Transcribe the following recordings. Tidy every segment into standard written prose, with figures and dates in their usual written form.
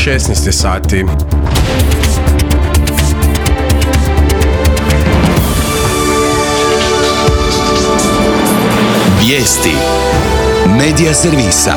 16 sati. Vijesti Medija servisa.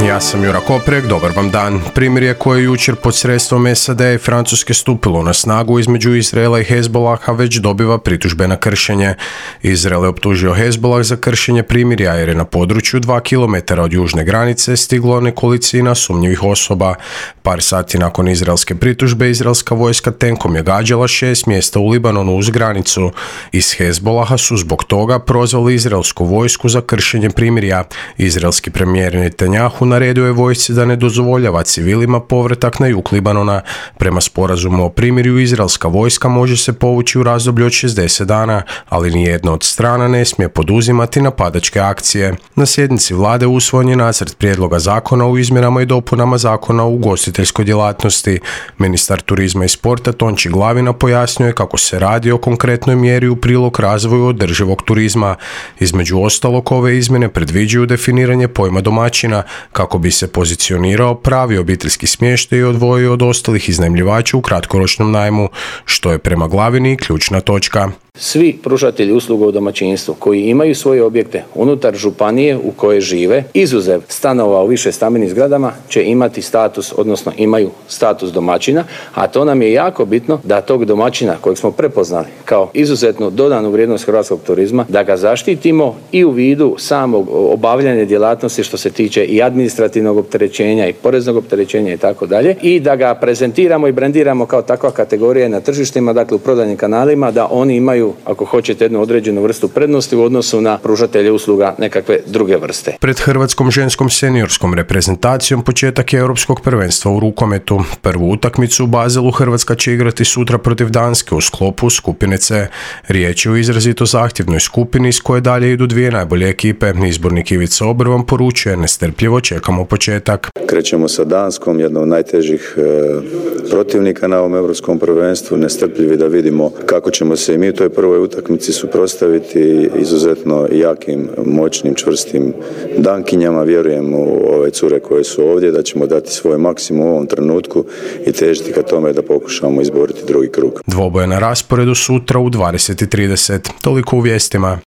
Ja sam Jura Koprek, dobar vam dan. Primirje koje je jučer pod sredstvom SAD i Francuske stupilo na snagu između Izraela i Hezbolaha već dobiva pritužbe na kršenje. Izrael je optužio Hezbolah za kršenje primirja jer je na području 2 km od južne granice stiglo nekolicina sumnjivih osoba. Par sati nakon izraelske pritužbe, izraelska vojska tenkom je gađala 6 mjesta u Libanonu uz granicu. Iz Hezbolaha su zbog toga prozvali izraelsku vojsku za kršenje primirja. Izraelski premijer Netanjahu naredio je vojsci da ne dozvoljava civilima povratak na jug Libanona. Prema sporazumu o primirju, izraelska vojska može se povući u razdoblju od 60 dana, ali nijedna od strana ne smije poduzimati napadačke akcije. Na sjednici vlade usvojen je nacrt prijedloga zakona o izmjenama i dopunama zakona o ugostiteljskoj djelatnosti. Ministar turizma i sporta Tonči Glavina pojasnio je kako se radi o konkretnoj mjeri u prilog razvoju održivog turizma. Između ostalog, ove izmjene predviđaju definiranje pojma domaćina, kako bi se pozicionirao pravi obiteljski smještaj i odvojio od ostalih iznajmljivača u kratkoročnom najmu, što je prema Glavini ključna točka. Svi pružatelji usluga u domaćinstvu koji imaju svoje objekte unutar županije u kojoj žive, izuzev stanova u više stambenim zgradama, će imati status, odnosno imaju status domaćina, a to nam je jako bitno da tog domaćina kojeg smo prepoznali kao izuzetnu dodanu vrijednost hrvatskog turizma, da ga zaštitimo i u vidu samog obavljanja djelatnosti što se tiče i administrativnog opterećenja i poreznog opterećenja i tako dalje, i da ga prezentiramo i brendiramo kao takva kategorija na tržištima, dakle u prodajnim kanalima, da oni imaju, ako hoćete, jednu određenu vrstu prednosti u odnosu na pružatelje usluga nekakve druge vrste. Pred hrvatskom ženskom seniorskom reprezentacijom početak je europskog prvenstva u rukometu. Prvu utakmicu u Baselu Hrvatska će igrati sutra protiv Danske u sklopu skupine C. Riječ je o izrazito zahtjevnoj skupini iz koje dalje idu dvije najbolje ekipe. Izbornik Ivica Obrvan poručuje: nestrpljivo čekamo početak. Krećemo sa Danskom, jednom od najtežih protivnika na ovom europskom prvenstvu, nestrpljivi da vidimo kako ćemo se i mi u toj prvoj utakmici suprotstaviti izuzetno jakim, moćnim, čvrstim Dankinjama. Vjerujem u ove cure koje su ovdje, da ćemo dati svoj maksimum u ovom trenutku i težiti ka tome da pokušamo izboriti drugi krug. Dvoboj je na rasporedu sutra u 20:30. Toliko u vijestima.